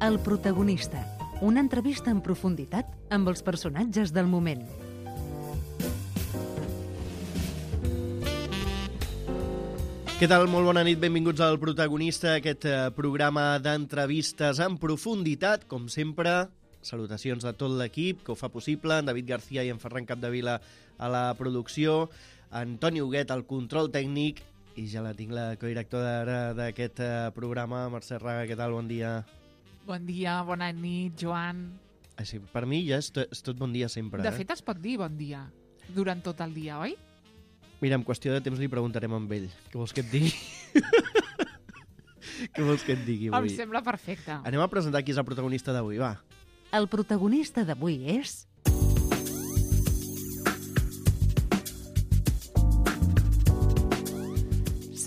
El protagonista, una entrevista en profunditat amb els personatges del moment. Què tal? Molt bona nit, benvinguts al Protagonista, aquest programa d'entrevistes en profunditat. Com sempre, salutacions de tot l'equip que ho fa possible, en David García i en Ferran Capdevila a la producció, Antoni Huguet al control tècnic, i ja la tinc la codirectora d'aquest programa, Mercè Raga. Què tal? Bon dia. Bon dia, bona nit, Joan. Així, per mi ja és tot bon dia sempre. De fet, es pot dir bon dia durant tot el dia, oi? Mira, en qüestió de temps li preguntarem amb ell. Què vols que et digui? Què vols que et digui avui? Em sembla perfecte. Anem a presentar qui és el protagonista d'avui, va. El protagonista d'avui és...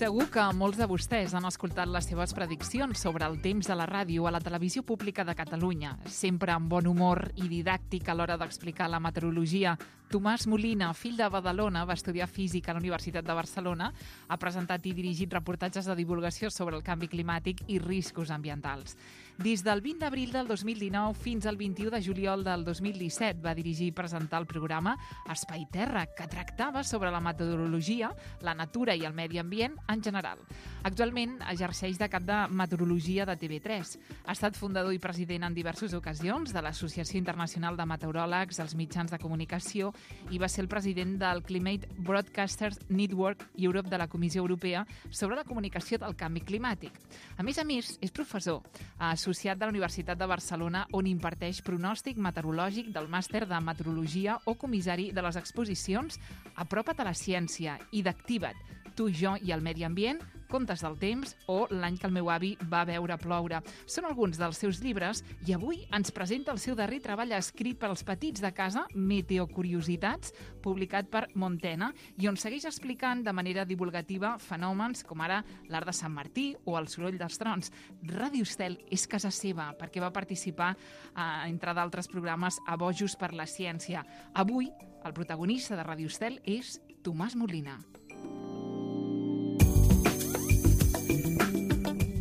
Segur que molts de vostès han escoltat les seves prediccions sobre el temps a la ràdio a la televisió pública de Catalunya, sempre amb bon humor i didàctic a l'hora d'explicar la meteorologia. Tomàs Molina, fill de Badalona, va estudiar física a la Universitat de Barcelona, ha presentat i dirigit reportatges de divulgació sobre el canvi climàtic i riscos ambientals. Des del 20 d'abril del 2019 fins al 21 de juliol del 2017 va dirigir i presentar el programa Espai Terra, que tractava sobre la meteorologia, la natura i el medi ambient en general. Actualment exerceix de cap de meteorologia de TV3. Ha estat fundador i president en diverses ocasions de l'Associació Internacional de Meteoròlegs, els mitjans de comunicació, i va ser el president del Climate Broadcasters Network Europe de la Comissió Europea sobre la comunicació del canvi climàtic. A més, és professor associat de la Universitat de Barcelona, on imparteix pronòstic meteorològic del màster de meteorologia o comissari de les exposicions Apropa't a la ciència i d'Activa't, Tu, jo i el medi ambient, Contes del temps o L'any que el meu avi va veure ploure. Són alguns dels seus llibres i avui ens presenta el seu darrer treball escrit per als petits de casa, Meteocuriositats, publicat per Montena, i on segueix explicant de manera divulgativa fenòmens com ara l'art de Sant Martí o el soroll dels trons. Ràdio Estel és casa seva perquè va participar, entre d'altres programes, a Bojos per la Ciència. Avui, el protagonista de Ràdio Estel és Tomàs Molina.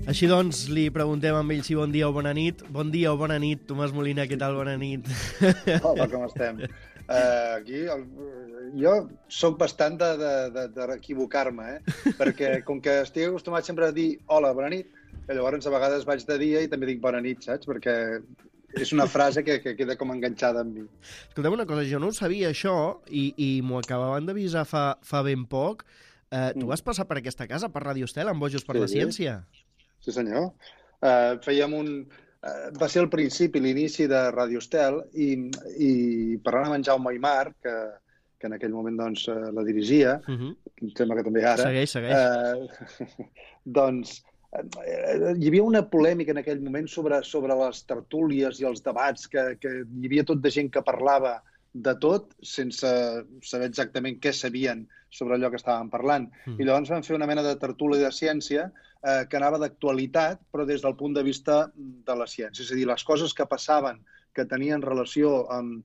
Així doncs, li preguntem amb ell si bon dia o bona nit. Bon dia o bona nit, Tomàs Molina, què tal? Bona nit. Hola, com estem? Jo soc bastant d'equivocar-me, perquè com que estic acostumat sempre a dir hola, bona nit, llavors a vegades vaig de dia i també dic bona nit, saps? Perquè és una frase que queda com enganxada amb mi. Escolta'm una cosa, jo no ho sabia això i m'ho acabaven d'avisar fa ben poc. Tu vas passar per aquesta casa, per Ràdio Estel, amb Bojos per la Ciència? Sí, senyor. Va ser el principi, l'inici de Ràdio Estel, i parlant amb en Jaume Aymar, que en aquell moment doncs, la dirigia, em sembla que també ara... Segueix. Doncs hi havia una polèmica en aquell moment sobre les tertúlies i els debats, que hi havia tot de gent que parlava de tot, sense saber exactament què sabien sobre allò que estàvem parlant. I llavors vam fer una mena de tertúlia de ciència que anava d'actualitat, però des del punt de vista de la ciència. És a dir, les coses que passaven, que tenien relació amb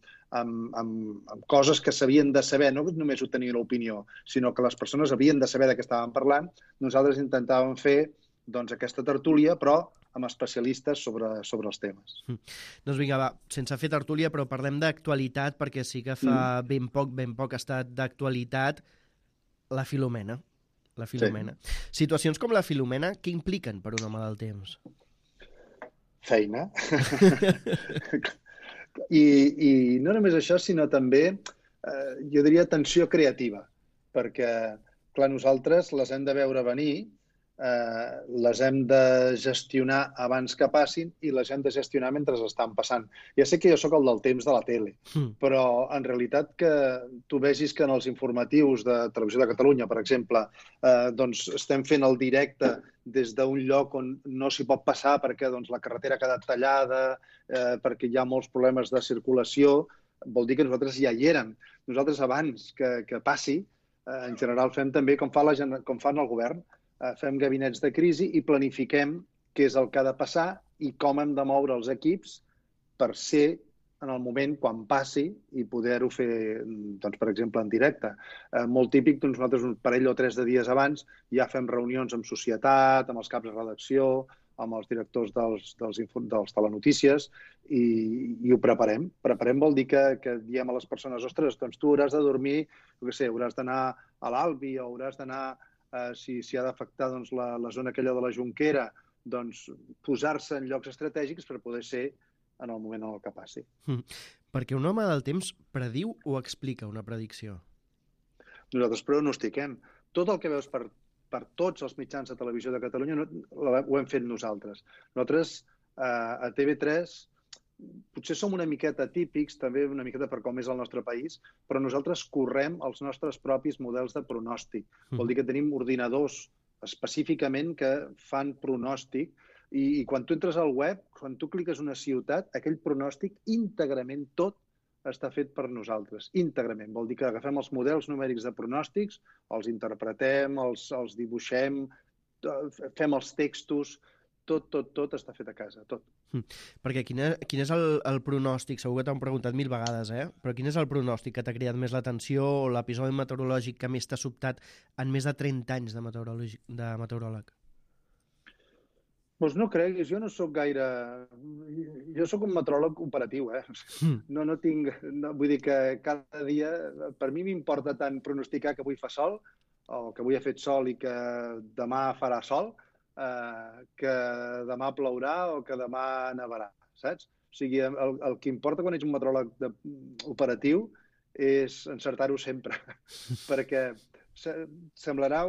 coses que s'havien de saber, no només ho tenien l'opinió, sinó que les persones havien de saber de què estàvem parlant, nosaltres intentàvem fer aquesta tertúlia, però amb especialistes sobre els temes. Doncs vinga, va, sense fer tertúlia, però parlem d'actualitat, perquè sí que fa ben poc ha estat d'actualitat la Filomena. Sí. Situacions com la Filomena, què impliquen per un home del temps? Feina. I no només això, sinó també, jo diria, tensió creativa, perquè, clar, nosaltres les hem de veure venir, les hem de gestionar abans que passin i les hem de gestionar mentre estan passant. Ja sé que jo sóc el del temps de la tele, però en realitat que tu vegis que en els informatius de Televisió de Catalunya, per exemple, doncs estem fent el directe des d'un lloc on no s'hi pot passar perquè la carretera ha quedat tallada, perquè hi ha molts problemes de circulació, vol dir que nosaltres ja hi érem. Nosaltres abans que passi, en general fem també com fan el govern, fem gabinets de crisi i planifiquem què és el que ha de passar i com hem de moure els equips per ser en el moment quan passi i poder-ho fer, doncs, per exemple, en directe. Molt típic, nosaltres un parell o 3 de dies abans ja fem reunions amb societat, amb els caps de redacció, amb els directors dels telenotícies i ho preparem. Preparem vol dir que diem a les persones, ostres, doncs tu hauràs de dormir, jo què sé, hauràs d'anar a l'Albi o hauràs d'anar, si ha d'afectar doncs, la zona aquella de la Jonquera, doncs posar-se en llocs estratègics per poder ser en el moment en el que passi. Perquè un home del temps prediu o explica una predicció? Nosaltres pronostiquem. Tot el que veus per tots els mitjans de televisió de Catalunya ho hem fet nosaltres. Nosaltres a TV3 potser som una miqueta típics, també una miqueta per com és el nostre país, però nosaltres correm els nostres propis models de pronòstic. Vol dir que tenim ordinadors específicament que fan pronòstic i quan tu entres al web, quan tu cliques una ciutat, aquell pronòstic íntegrament tot està fet per nosaltres, íntegrament. Vol dir que agafem els models numèrics de pronòstics, els interpretem, els dibuixem, fem els textos, tot està fet a casa, tot. Perquè quin és el pronòstic? Segur que t'ho han preguntat 1000 vegades, però quin és el pronòstic que t'ha cridat més l'atenció o l'episodi meteorològic que més t'ha sobtat en més de 30 anys de meteoròleg? Doncs no creguis, jo no sóc gaire... Jo sóc un meteoròleg operatiu, No tinc... Vull dir que cada dia... Per mi m'importa tant pronosticar que avui fa sol, o que avui ha fet sol i que demà farà sol, que demà plourà o que demà nevarà, saps? O sigui, el que importa quan ets un meteoròleg operatiu és encertar-ho sempre, perquè semblarà...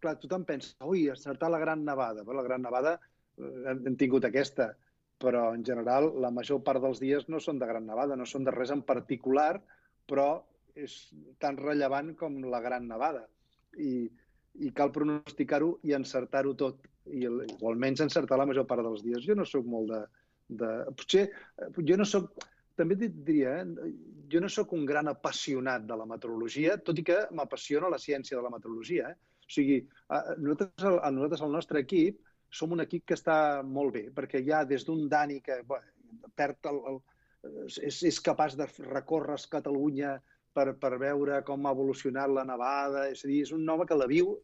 Clar, tothom pensa, ui, encertar la gran nevada. La gran nevada hem tingut aquesta, però en general la major part dels dies no són de gran nevada, no són de res en particular, però és tan rellevant com la gran nevada. I cal pronosticar-ho i encertar-ho tot, o almenys encertar la major part dels dies. Jo no sóc molt potser, jo no sóc... També et diria, jo no sóc un gran apassionat de la meteorologia, tot i que m'apassiona la ciència de la meteorologia. O sigui, nosaltres, el nostre equip, som un equip que està molt bé, perquè hi ha des d'un Dani que és capaç de recórrer Catalunya per veure com ha evolucionat la nevada. És a dir, és un home que la viu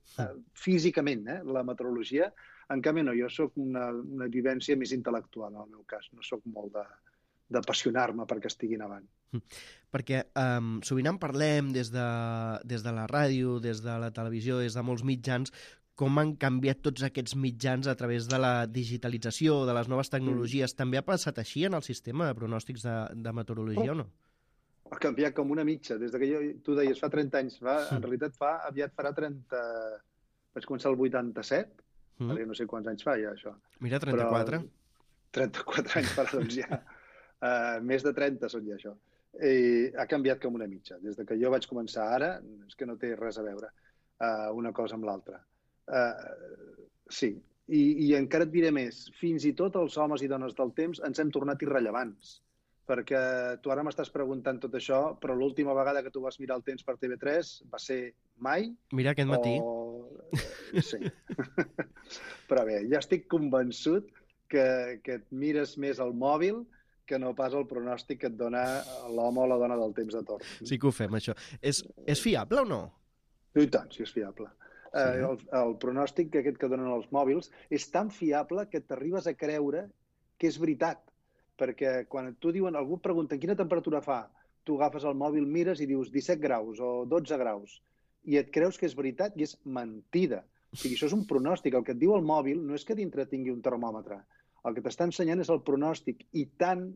físicament, la meteorologia. En canvi, no, jo soc una vivència més intel·lectual, en el meu cas. No soc molt d'apassionar-me perquè estigui nevant. Perquè sovint en parlem des de la ràdio, des de la televisió, des de molts mitjans, com han canviat tots aquests mitjans a través de la digitalització, de les noves tecnologies. També ha passat així en el sistema de pronòstics de meteorologia o no? Ha canviat com una mitja. Des que tu deies fa 30 anys, en realitat aviat farà 30... Vaig començar el 87, perquè no sé quants anys fa ja això. Mira, 34. 34 anys farà, doncs ja. Més de 30 són ja això. Ha canviat com una mitja. Des que jo vaig començar ara, és que no té res a veure una cosa amb l'altra. Sí, i encara et diré més. Fins i tot els homes i dones del temps ens hem tornat irrellevants. Perquè tu ara m'estàs preguntant tot això, però l'última vegada que tu vas mirar el temps per TV3 va ser mai. Mira, aquest matí. Sí. Però bé, ja estic convençut que et mires més al mòbil que no pas el pronòstic que et dona l'home o la dona del temps de torn. Sí que ho fem, això. És fiable o no? I tant, sí, és fiable. Sí. El pronòstic aquest que donen els mòbils és tan fiable que t'arribes a creure que és veritat. Perquè quan algú et pregunta quina temperatura fa, tu agafes el mòbil, mires i dius 17 graus o 12 graus i et creus que és veritat i és mentida. O sigui, això és un pronòstic. El que et diu el mòbil no és que dintre tingui un termòmetre. El que t'està ensenyant és el pronòstic i tan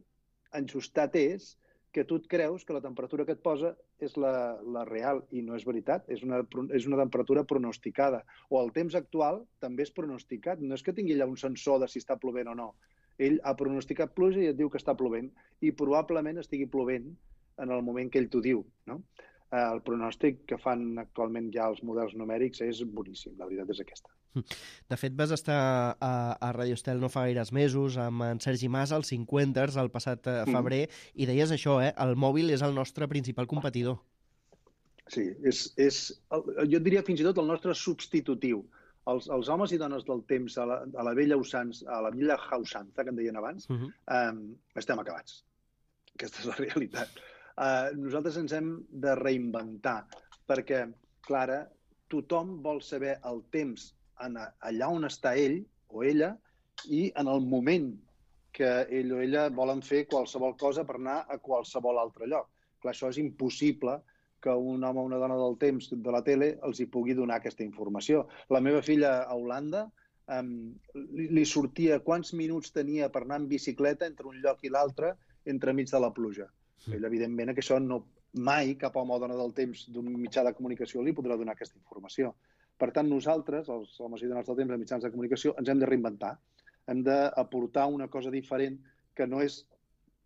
enjustat és que tu et creus que la temperatura que et posa és la real i no és veritat. És una temperatura pronosticada. O el temps actual també és pronosticat. No és que tingui allà un sensor de si està plovent o no. Ell ha pronosticat pluja i et diu que està plovent i probablement estigui plovent en el moment que ell t'ho diu, no? El pronòstic que fan actualment ja els models numèrics és boníssim, la veritat és aquesta. De fet, vas estar a Radio Estel no fa gaires mesos amb en Sergi Mas, als 50ers, el passat febrer, i deies això, el mòbil és el nostre principal competidor. Sí, jo et diria fins i tot el nostre substitutiu. Els homes i dones del temps a la vella usança, que en deien abans, estem acabats. Aquesta és la realitat. Nosaltres ens hem de reinventar, perquè, clar, tothom vol saber el temps allà on està ell o ella i en el moment que ell o ella volen fer qualsevol cosa per anar a qualsevol altre lloc. Clar, això és impossible que un home o una dona del temps de la tele els hi pugui donar aquesta informació. La meva filla a Holanda li sortia quants minuts tenia per anar en bicicleta entre un lloc i l'altre entremig de la pluja. Ell, evidentment, que això no, mai cap home o dona del temps d'un mitjà de comunicació li podrà donar aquesta informació. Per tant, nosaltres, els homes i dones del temps de mitjans de comunicació, ens hem de reinventar. Hem d'aportar una cosa diferent que no és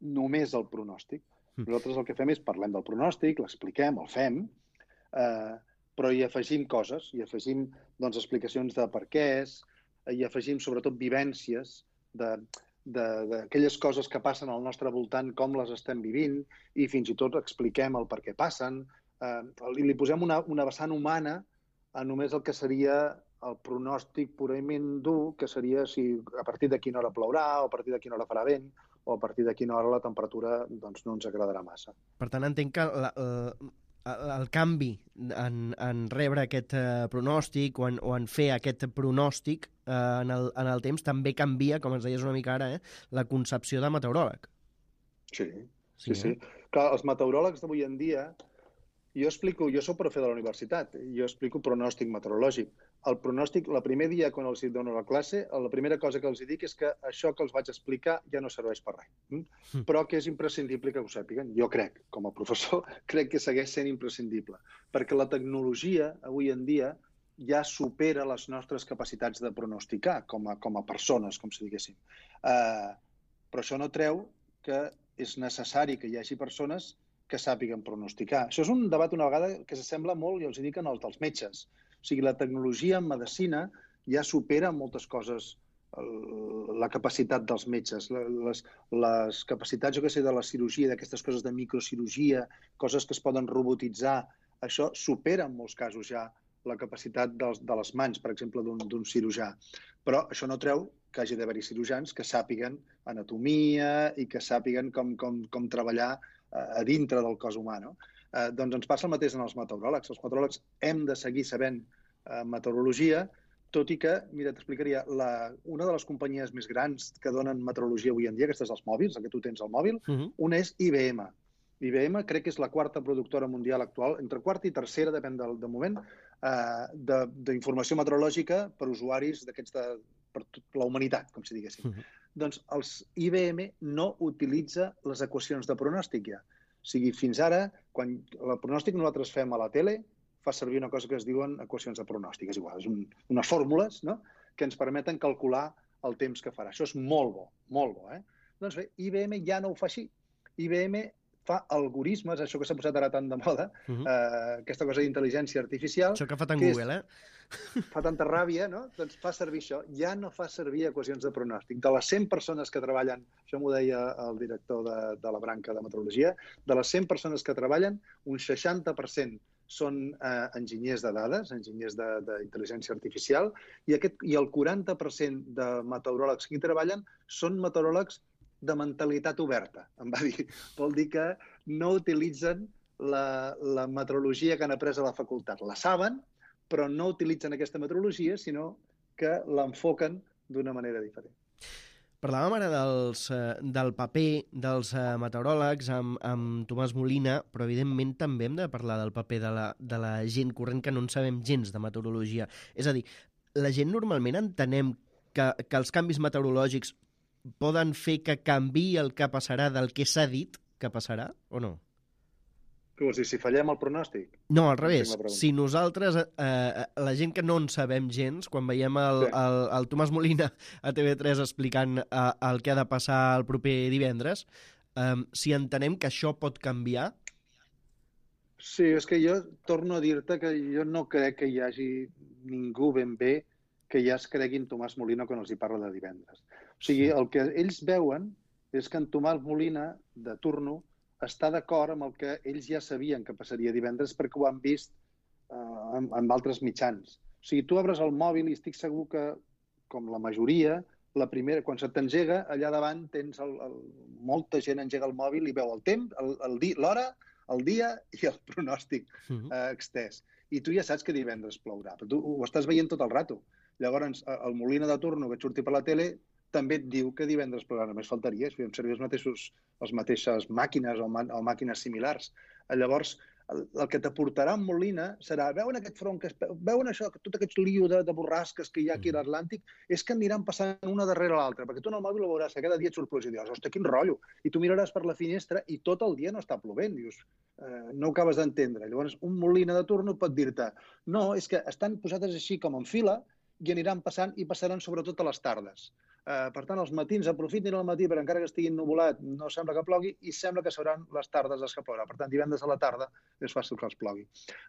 només el pronòstic. Nosaltres el que fem és parlem del pronòstic, l'expliquem, el fem, però hi afegim coses, hi afegim explicacions de per què és, hi afegim sobretot vivències d'aquelles coses que passen al nostre voltant, com les estem vivint, i fins i tot expliquem el per què passen. Li posem una vessant humana a només el que seria el pronòstic purament dur, que seria si a partir de quina hora plourà, o a partir de quina hora farà vent, o a partir de quina hora la temperatura doncs, no ens agradarà massa. Per tant, entenc que el canvi en rebre aquest pronòstic o en fer aquest pronòstic en el temps també canvia, com ens deies una mica ara, la concepció de meteoròleg. Sí. Clar, els meteoròlegs d'avui en dia, jo soc profe de la universitat, jo explico pronòstic meteorològic. El pronòstic, el primer dia quan els dono la classe, la primera cosa que els dic és que això que els vaig explicar ja no serveix per res, però que és imprescindible que ho sàpiguen. Jo crec, com a professor, crec que segueix sent imprescindible, perquè la tecnologia avui en dia ja supera les nostres capacitats de pronosticar com a persones, com si diguéssim. Però això no treu que és necessari que hi hagi persones que sàpiguen pronosticar. Això és un debat una vegada que s'assembla molt, i els dic, als dels metges. O sigui, la tecnologia en medicina ja supera moltes coses la capacitat dels metges. Les capacitats, jo què sé, de la cirurgia, d'aquestes coses de microcirurgia, coses que es poden robotitzar, això supera en molts casos ja la capacitat de les mans, per exemple, d'un cirurgià. Però això no treu que hagi d'haver-hi cirurgians que sàpiguen anatomia i que sàpiguen com treballar a dintre del cos humà, no? Doncs ens passa el mateix en els meteoròlegs. Els meteoròlegs hem de seguir sabent meteorologia, tot i que, mira, t'explicaria, una de les companyies més grans que donen meteorologia avui en dia, aquestes dels mòbils, que tu tens al mòbil, una és IBM. IBM crec que és la quarta productora mundial actual, entre quarta i tercera, depèn del moment, d'informació meteorològica per usuaris d'aquests per la humanitat, com si diguéssim. Doncs els IBM no utilitza les equacions de pronòstic ja. O sigui, fins ara, quan el pronòstic nosaltres fem a la tele, fa servir una cosa que es diuen equacions de pronòstic. És igual, és unes fórmules, no?, que ens permeten calcular el temps que farà. Això és molt bo, molt bo. Doncs bé, IBM ja no ho fa així. IBM fa algoritmes, això que s'ha posat ara tan de moda, aquesta cosa d'intel·ligència artificial... Això que fa tant Google, fa tanta ràbia, no? Doncs fa servir això. Ja no fa servir equacions de pronòstic. De les 100 persones que treballen, això m'ho deia el director de la branca de meteorologia, de les 100 persones que treballen, un 60% són enginyers de dades, enginyers d'intel·ligència artificial, i el 40% de meteoròlegs que hi treballen són meteoròlegs de mentalitat oberta, em va dir. Vol dir que no utilitzen la meteorologia que han après a la facultat. La saben, però no utilitzen aquesta meteorologia, sinó que l'enfoquen d'una manera diferent. Parlàvem ara del paper dels meteoròlegs amb Tomàs Molina, però evidentment també hem de parlar del paper de la gent corrent que no en sabem gens de meteorologia. És a dir, la gent normalment entenem que els canvis meteorològics poden fer que canviï el que passarà del que s'ha dit que passarà, o no? Què vols dir, si fallem el pronòstic? No, al revés. Si nosaltres, la gent que no en sabem gens, quan veiem el Tomàs Molina a TV3 explicant el que ha de passar el proper divendres, si entenem que això pot canviar? Sí, és que jo torno a dir-te que jo no crec que hi hagi ningú ben bé que ja es creguin Tomàs Molina quan els hi parla de divendres. O sigui, el que ells veuen és que en Tomàs Molina, de turno, està d'acord amb el que ells ja sabien que passaria divendres perquè ho han vist en altres mitjans. O sigui, tu obres el mòbil i estic segur que, com la majoria, la primera, quan se t'engega, allà davant tens molta gent engega el mòbil i veu el temps, l'hora, el dia i el pronòstic extès. I tu ja saps que divendres plourà, però tu ho estàs veient tot el rato. Llavors, el Molina de turno que et surti per la tele també et diu que divendres plorarà, només faltaria, si fem servir les mateixes màquines o màquines similars. Llavors, el que t'aportarà en Molina serà, veuen aquest front, veuen això, tot aquest lío de borrasques que hi ha aquí a l'Atlàntic, és que aniran passant una darrere l'altra, perquè tu en el mòbil ho veuràs, que cada dia et surt pluja i dius, hòstia, quin rotllo! I tu miraràs per la finestra i tot el dia no està plovent, dius, no ho acabes d'entendre. Llavors, un Molina de turno pot dir-te, no, és que estan posades així com en fila i aniran passant i passaran sobretot a les tardes. Per tant, els matins aprofitin el matí, però encara que estigui ennuvolat, no sembla que plogui i sembla que seran les tardes les que plourà. Per tant, divendres a la tarda és fàcil que els plogui.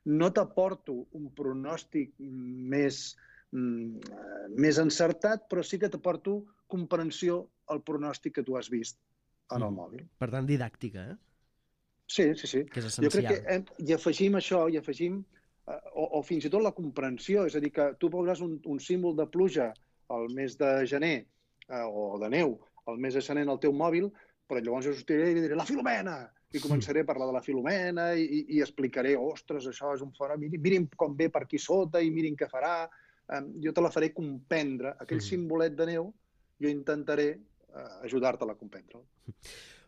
No t'aporto un pronòstic més encertat, però sí que t'aporto comprensió al pronòstic que tu has vist en el mòbil. Per tant, didàctica, eh? Sí. Que és essencial. Jo crec que hi afegim això, o fins i tot la comprensió, és a dir, que tu veuràs un símbol de pluja al mes de gener o de neu al mes de gener en el teu mòbil, però llavors jo sortiré i diré la Filomena! I començaré a parlar de la Filomena i explicaré, ostres, això és un fenomen, mirin com ve per aquí sota i mirin què farà. Jo te la faré comprendre. Aquell simbolet de neu, jo intentaré ajudar-te-la a comprendre-lo.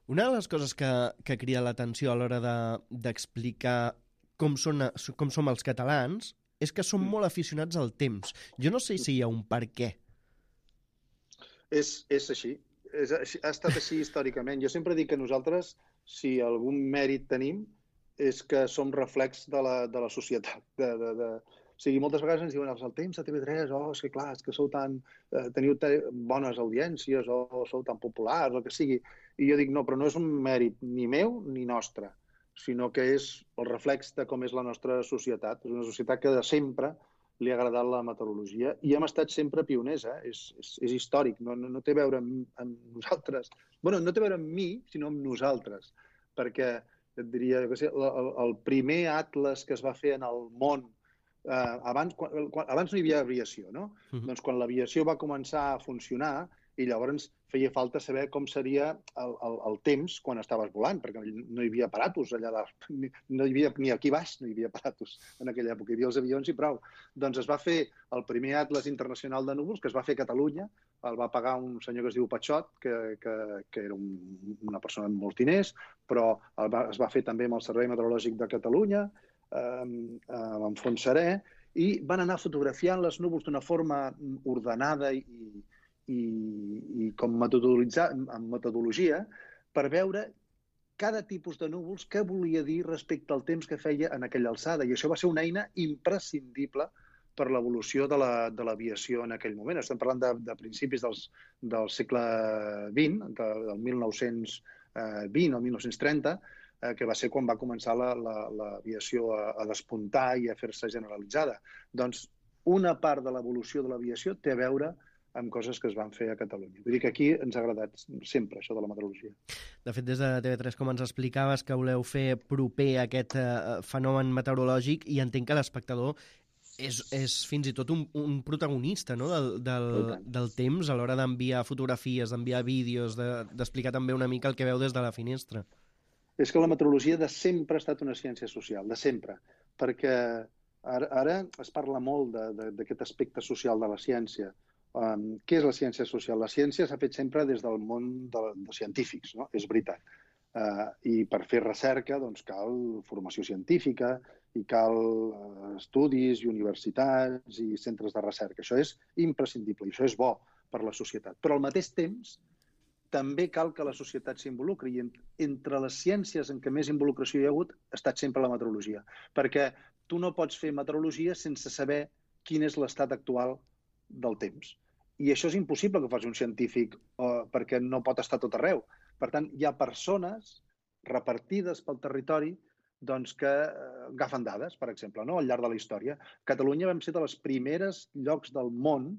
Una de les coses que crida l'atenció a l'hora d'explicar com som els catalans és que som molt aficionats al temps. Jo no sé si hi ha un per què. És així. Ha estat així històricament. Jo sempre dic que nosaltres, si algun mèrit tenim, és que som reflex de la societat. O sigui, moltes vegades ens diuen el temps de TV3, és que clar, és que teniu bones audiències o sou tan populars, o que sigui. I jo dic, no, però no és un mèrit ni meu ni nostre, sinó que és el reflex de com és la nostra societat. És una societat que de sempre li ha agradat la meteorologia i hem estat sempre pioners, és històric, no té a veure amb nosaltres. Bueno, no té a veure amb mi, sinó amb nosaltres, perquè et diria que el primer atles que es va fer en el món, abans no hi havia aviació, no? Doncs quan l'aviació va començar a funcionar i llavors feia falta saber com seria el temps quan estaves volant, perquè no hi havia aparatos allà dalt. No hi havia, ni aquí baix no hi havia aparatos en aquella època, hi havia els avions i prou. Doncs es va fer el primer Atles Internacional de Núvols, que es va fer a Catalunya, el va pagar un senyor que es diu Patxot, que era una persona amb molts diners, però es va fer també amb el Servei Meteorològic de Catalunya, amb Fontserè, i van anar fotografiant les núvols d'una forma ordenada i com amb metodologia per veure cada tipus de núvols què volia dir respecte al temps que feia en aquella alçada. I això va ser una eina imprescindible per l'evolució de l'aviació en aquell moment. Estem parlant de principis del segle XX, del 1920 o 1930, que va ser quan va començar l'aviació a despuntar i a fer-se generalitzada. Doncs una part de l'evolució de l'aviació té a veure amb coses que es van fer a Catalunya. Vull dir que aquí ens ha agradat sempre això de la meteorologia. De fet, des de TV3, com ens explicaves, que voleu fer proper aquest fenomen meteorològic, i entenc que l'espectador és fins i tot un protagonista, no? del temps a l'hora d'enviar fotografies, d'enviar vídeos, d'explicar també una mica el que veu des de la finestra. És que la meteorologia de sempre ha estat una ciència social, de sempre, perquè ara es parla molt d'aquest aspecte social de la ciència. Què és la ciència social? La ciència s'ha fet sempre des del món dels científics, no? És veritat. I per fer recerca doncs, cal formació científica i cal estudis i universitats i centres de recerca. Això és imprescindible i això és bo per a la societat. Però al mateix temps també cal que la societat s'involucri i entre les ciències en què més involucració hi ha hagut ha estat sempre la meteorologia. Perquè tu no pots fer meteorologia sense saber quin és l'estat actual del temps. I això és impossible que ho faci un científic perquè no pot estar tot arreu. Per tant, hi ha persones repartides pel territori doncs, que agafen dades, per exemple, no? Al llarg de la història. Catalunya vam ser de les primeres llocs del món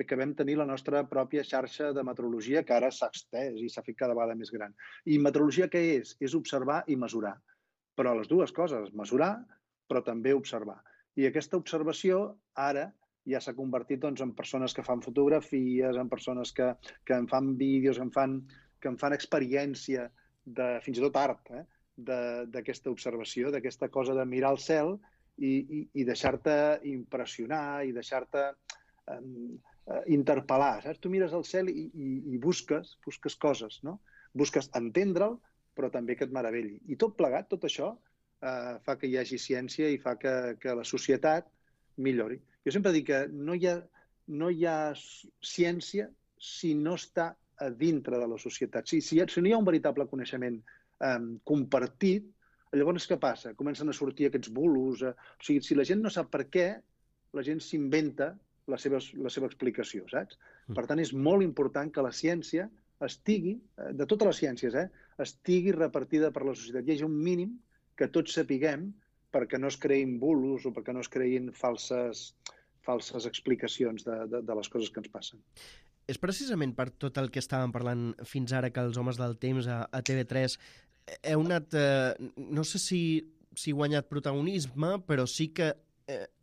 que vam tenir la nostra pròpia xarxa de meteorologia, que ara s'ha extès i s'ha fet cada vegada més gran. I meteorologia què és? És observar i mesurar. Però les dues coses, mesurar, però també observar. I aquesta observació ara ja s'ha convertit en persones que fan fotografies, en persones que en fan vídeos, que en fan experiència, fins i tot art, d'aquesta observació, d'aquesta cosa de mirar el cel i deixar-te impressionar i deixar-te interpel·lar, saps? Tu mires al cel i busques coses, no? Busques entendre'l, però també que et meravelli. I tot plegat, tot això, fa que hi hagi ciència i fa que la societat millori. Jo sempre dic que no hi ha ciència si no està a dintre de la societat. Si no hi ha un veritable coneixement compartit, llavors què passa? Comencen a sortir aquests bulos. O sigui, si la gent no sap per què, la gent s'inventa la seva explicació, saps? Per tant, és molt important que la ciència estigui, de totes les ciències, estigui repartida per la societat. Hi hagi un mínim que tots sapiguem perquè no es creïn bulos o perquè no es creïn falses explicacions de les coses que ens passen. És precisament per tot el que estàvem parlant fins ara que els homes del temps a TV3 heu anat, no sé si guanyat protagonisme, però sí que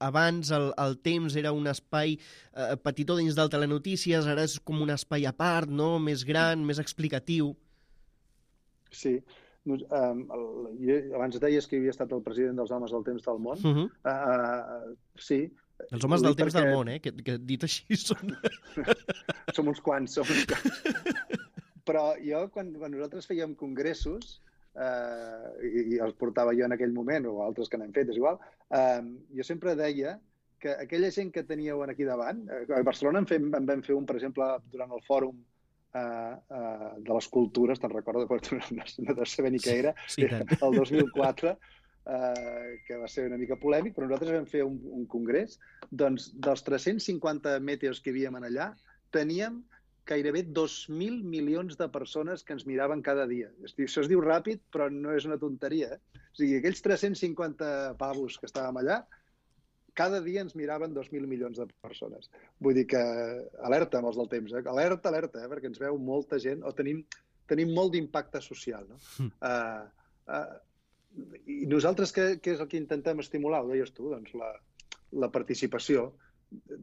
abans el temps era un espai petitó dins del Telenotícies, ara és com un espai a part, no? Més gran, més explicatiu. Sí. Abans deies que havia estat el president dels homes del temps del món. Sí. Els homes del temps del món, que dit així són... Som uns quants. Però jo, quan nosaltres fèiem congressos, i els portava jo en aquell moment, o altres que n'hem fet, és igual, jo sempre deia que aquella gent que teníeu aquí davant, a Barcelona en vam fer un, per exemple, durant el fòrum de les cultures, te'n recordo, no de saber ni què era, el 2004, que va ser una mica polèmic, però nosaltres vam fer un congrés, doncs dels 350 meteos que hi havia allà, teníem gairebé 2.000 milions de persones que ens miraven cada dia. Això es diu ràpid, però no és una tonteria. O sigui, aquells 350 pavos que estàvem allà, cada dia ens miraven 2.000 milions de persones. Vull dir que alerta amb els del temps, alerta, perquè ens veu molta gent, o tenim molt d'impacte social, no? I nosaltres què és el que intentem estimular? Ho deies tu, doncs la participació.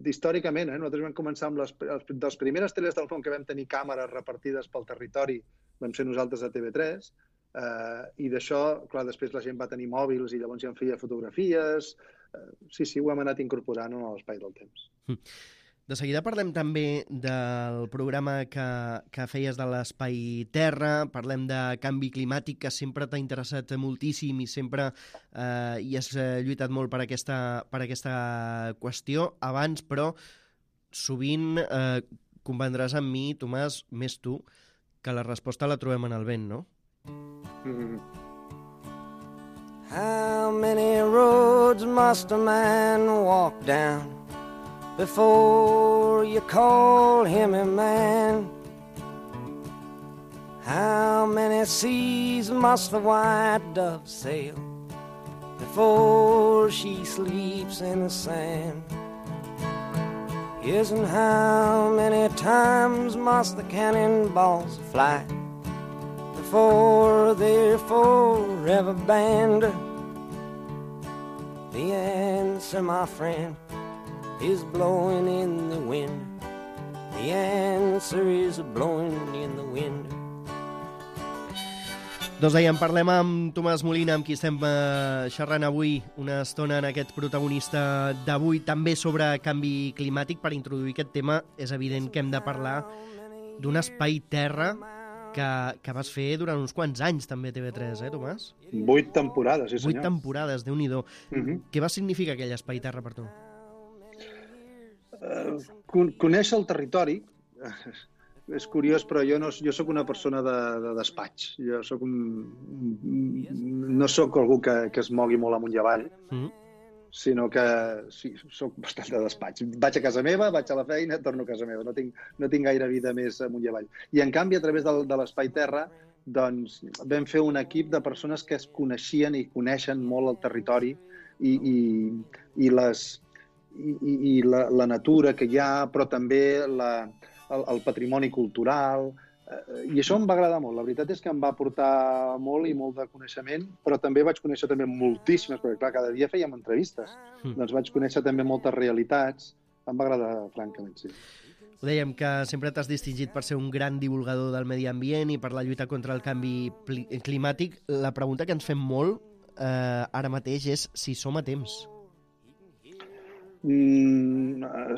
Històricament, nosaltres vam començar amb les primeres teles del món que vam tenir càmeres repartides pel territori, vam ser nosaltres a TV3, i d'això, clar, després la gent va tenir mòbils i llavors ja en feia fotografies. Sí, ho hem anat incorporant en l'espai del temps. De seguida parlem també del programa que feies de l'Espai Terra, parlem de canvi climàtic, que sempre t'ha interessat moltíssim i sempre hi has lluitat molt per aquesta qüestió. Abans, però, sovint convendràs amb mi, Tomàs, més tu, que la resposta la trobem en el vent, no? How many roads must a man walk down before you call him a man? How many seas must the white dove sail before she sleeps in the sand? Yes, and how many times must the cannonballs fly before they're forever banned? The answer, my friend, is blowing in the wind. The answer is blowing in the wind. Doncs dèiem, parlem amb Tomàs Molina, amb qui estem xerrant avui una estona en aquest protagonista d'avui, també sobre canvi climàtic. Per introduir aquest tema és evident que hem de parlar d'un espai terra que vas fer durant uns quants anys també a TV3, Tomàs? 8 temporades, sí senyor. 8 temporades, Déu-n'hi-do. Què va significar aquell espai terra per tu? Conèixer el territori és curiós, però jo soc una persona de despatx. Jo no soc algú que es mogui molt amunt i avall, sinó que sí, soc bastant de despatx. Vaig a casa meva, vaig a la feina, torno a casa meva. No tinc gaire vida més amunt i avall. I en canvi, a través de l'Espai Terra, doncs, vam fer un equip de persones que es coneixien i coneixen molt el territori i la natura que hi ha, però també el patrimoni cultural, i això em va agradar molt. La veritat és que em va aportar molt i molt de coneixement, però també vaig conèixer també moltíssimes, perquè clar, cada dia fèiem entrevistes, doncs vaig conèixer també moltes realitats. Em va agradar, francament, sí. Ho dèiem, que sempre t'has distingit per ser un gran divulgador del medi ambient i per la lluita contra el canvi climàtic. La pregunta que ens fem molt ara mateix és si som a temps.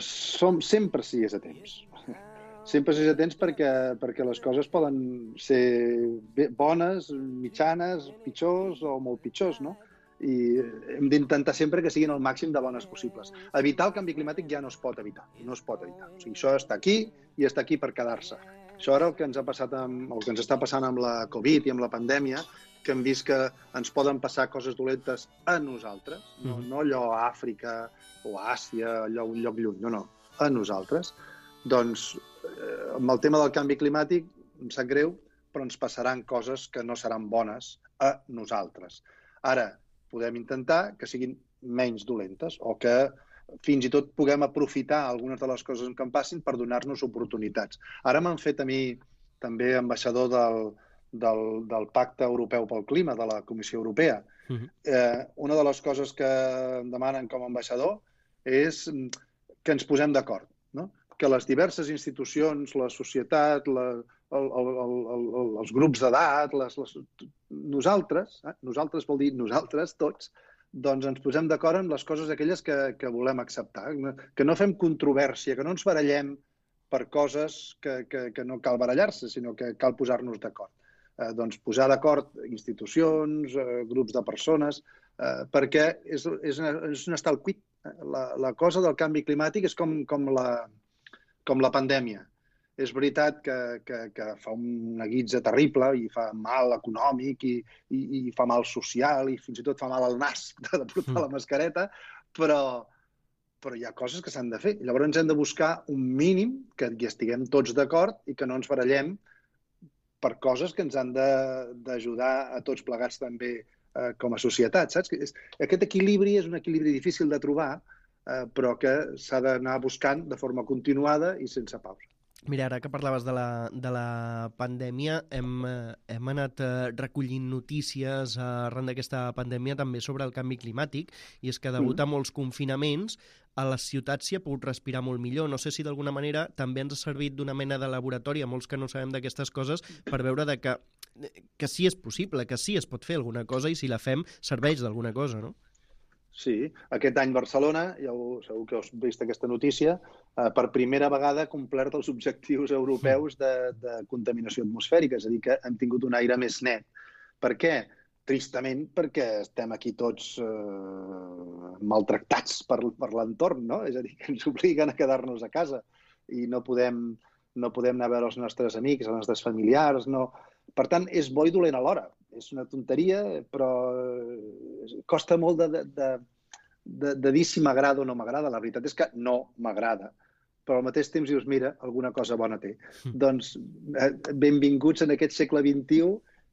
Sempre sigues a temps. Sempre sigues a temps perquè les coses poden ser bones, mitjanes, pitjors o molt pitjors, no? I hem d'intentar sempre que siguin el màxim de bones possibles. Evitar el canvi climàtic ja no es pot evitar, no es pot evitar. O sigui, això està aquí i està aquí per quedar-se. Això ara el que ens ha passat el que ens està passant amb la Covid i amb la pandèmia, que hem vist que ens poden passar coses dolentes a nosaltres, no allò a Àfrica o a Àsia, allò un lloc lluny, no, a nosaltres. Doncs amb el tema del canvi climàtic em sap greu, però ens passaran coses que no seran bones a nosaltres. Ara, podem intentar que siguin menys dolentes o que fins i tot puguem aprofitar algunes de les coses que em passin per donar-nos oportunitats. Ara m'han fet a mi també ambaixador del Pacte Europeu pel Clima, de la Comissió Europea. Una de les coses que em demanen com a ambaixador és que ens posem d'acord, no? Que les diverses institucions, la societat, els grups d'edat, nosaltres vol dir nosaltres tots, doncs ens posem d'acord en les coses aquelles que volem acceptar, que no fem controvèrsia, que no ens barallem per coses que no cal barallar-se, sinó que cal posar-nos d'acord. Doncs posar d'acord institucions, grups de persones, perquè és un estar al cuit. La cosa del canvi climàtic és com la pandèmia. És veritat que fa una guitza terrible i fa mal econòmic i fa mal social i fins i tot fa mal al nas de portar la mascareta, però hi ha coses que s'han de fer. Llavors hem de buscar un mínim que hi estiguem tots d'acord i que no ens barallem per coses que ens han d'ajudar a tots plegats també com a societat, saps? Aquest equilibri és un equilibri difícil de trobar, però que s'ha d'anar buscant de forma continuada i sense pausa. Mira, ara que parlaves de la pandèmia, hem anat recollint notícies arran d'aquesta pandèmia també sobre el canvi climàtic, i és que degut a molts confinaments a les ciutats s'hi ha pogut respirar molt millor. No sé si d'alguna manera també ens ha servit d'una mena de laboratori a molts que no sabem d'aquestes coses per veure que sí és possible, que sí es pot fer alguna cosa i si la fem serveix d'alguna cosa, no? Sí, aquest any Barcelona, segur que heu vist aquesta notícia, per primera vegada ha complert els objectius europeus de contaminació atmosfèrica, és a dir, que hem tingut un aire més net. Per què? Tristament perquè estem aquí tots maltractats per l'entorn, no? És a dir, que ens obliguen a quedar-nos a casa i no podem anar a veure els nostres amics, els nostres familiars, no. Per tant, és bo i dolent alhora. És una tonteria, però costa molt de dir si m'agrada o no m'agrada. La veritat és que no m'agrada. Però al mateix temps dius, mira, alguna cosa bona té. Doncs benvinguts en aquest segle XXI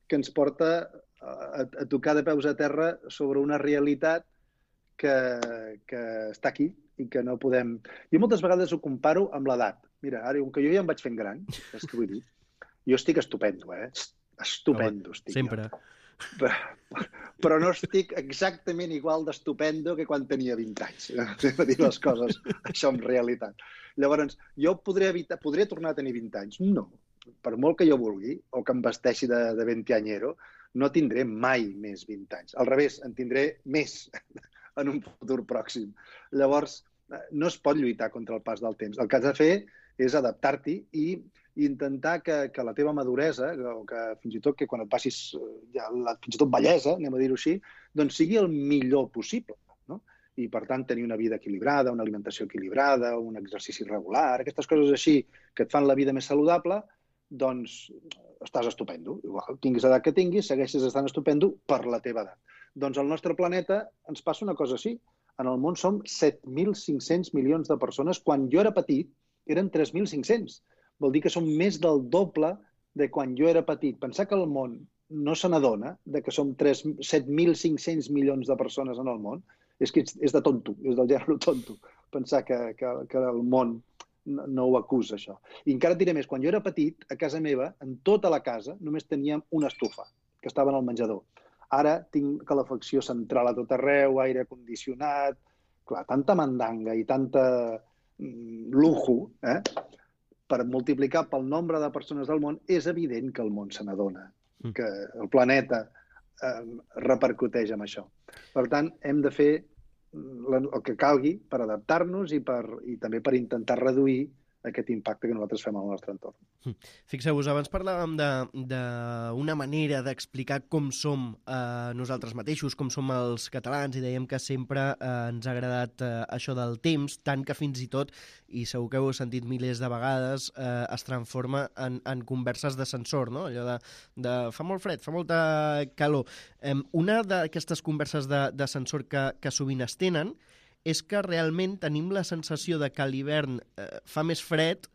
que ens porta a tocar de peus a terra sobre una realitat que està aquí i que no podem... Jo moltes vegades ho comparo amb l'edat. Mira, ara, com que jo ja em vaig fent gran, és que vull dir, jo estic estupendo, estupendo estic. Sempre. Però no estic exactament igual d'estupendo que quan tenia 20 anys. A dir les coses, això en realitat. Llavors, jo podré tornar a tenir 20 anys? No. Per molt que jo vulgui, o que em vesteixi de 20anyero, no tindré mai més 20 anys. Al revés, en tindré més en un futur pròxim. Llavors, no es pot lluitar contra el pas del temps. El que has de fer és adaptar-t'hi i intentar que la teva maduresa, o que fins i tot que quan et passis fins i tot vellesa, anem a dir-ho així, doncs sigui el millor possible, no? I per tant tenir una vida equilibrada, una alimentació equilibrada, un exercici regular, aquestes coses així que et fan la vida més saludable, doncs estàs estupendo. Igual, tinguis l'edat que tinguis, segueixes estant estupendo per la teva edat. Doncs al nostre planeta ens passa una cosa així. En el món som 7.500 milions de persones. Quan jo era petit eren 3.500. Vol dir que som més del doble de quan jo era petit. Pensar que el món no se n'adona que som 7.500 milions de persones en el món és de tonto, és del gènere tonto. Pensar que el món no ho acusa, això. I encara et diré més, quan jo era petit, a casa meva, en tota la casa, només teníem una estufa, que estava en el menjador. Ara tinc calefacció central a tot arreu, aire condicionat... Clar, tanta mandanga i tanta lujo, per multiplicar pel nombre de persones del món, és evident que el món se n'adona, que el planeta repercuteix en això. Per tant, hem de fer el que calgui per adaptar-nos i també per intentar reduir aquest impacte que nosaltres fem al nostre entorn. Fixeu-vos, abans parlàvem d'una manera d'explicar com som nosaltres mateixos, com som els catalans, i dèiem que sempre ens ha agradat això del temps, tant que fins i tot, i segur que ho heu sentit milers de vegades, es transforma en converses d'ascensor, no? Allò de fa molt fred, fa molta calor. Una d'aquestes converses d'ascensor que sovint es tenen és que realment tenim la sensació de que a l'hivern fa més fred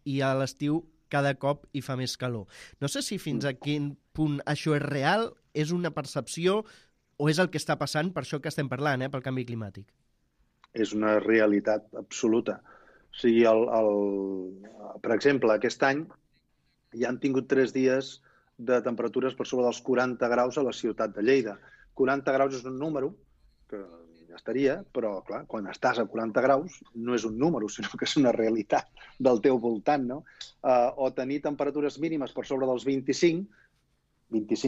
i a l'estiu cada cop hi fa més calor. No sé si fins a quin punt això és real, és una percepció o és el que està passant per això que estem parlant, pel canvi climàtic. És una realitat absoluta. O sigui, per exemple, aquest any ja hem tingut 3 dies de temperatures per sobre dels 40 graus a la ciutat de Lleida. 40 graus és un número que ja estaria, però clar, quan estàs a 40 graus no és un número, sinó que és una realitat del teu voltant, no? O tenir temperatures mínimes per sobre dels 25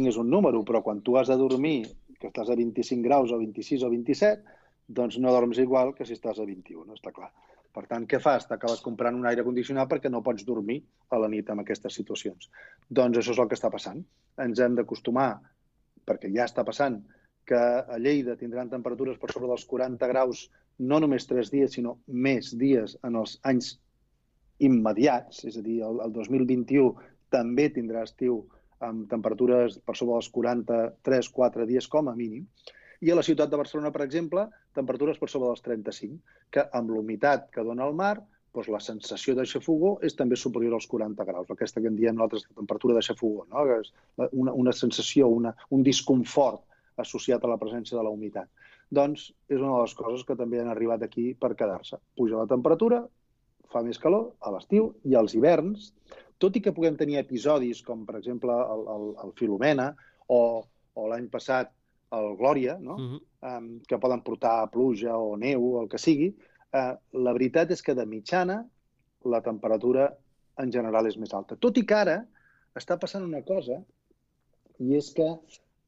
és un número, però quan tu has de dormir, que estàs a 25 graus o 26 o 27, doncs no dorms igual que si estàs a 21, està clar. Per tant, què fas? T'acabes comprant un aire condicionat perquè no pots dormir a la nit en aquestes situacions. Doncs això és el que està passant. Ens hem d'acostumar, perquè ja està passant, que a Lleida tindran temperatures per sobre dels 40 graus no només 3 dies, sinó més dies en els anys immediats, és a dir, el 2021 també tindrà estiu amb temperatures per sobre dels 43-4 dies com a mínim, i a la ciutat de Barcelona, per exemple, temperatures per sobre dels 35, que amb l'humitat que dona el mar, doncs la sensació de xafogor és també superior als 40 graus, aquesta que en diem nosaltres temperatura de xafogor, no? És una sensació, un disconfort associat a la presència de la humitat. Doncs és una de les coses que també han arribat aquí per quedar-se. Puja la temperatura, fa més calor a l'estiu i als hiverns, tot i que puguem tenir episodis com, per exemple, el Filomena o l'any passat el Glòria, no? Que poden portar pluja o neu o el que sigui, la veritat és que de mitjana la temperatura en general és més alta. Tot i que ara està passant una cosa, i és que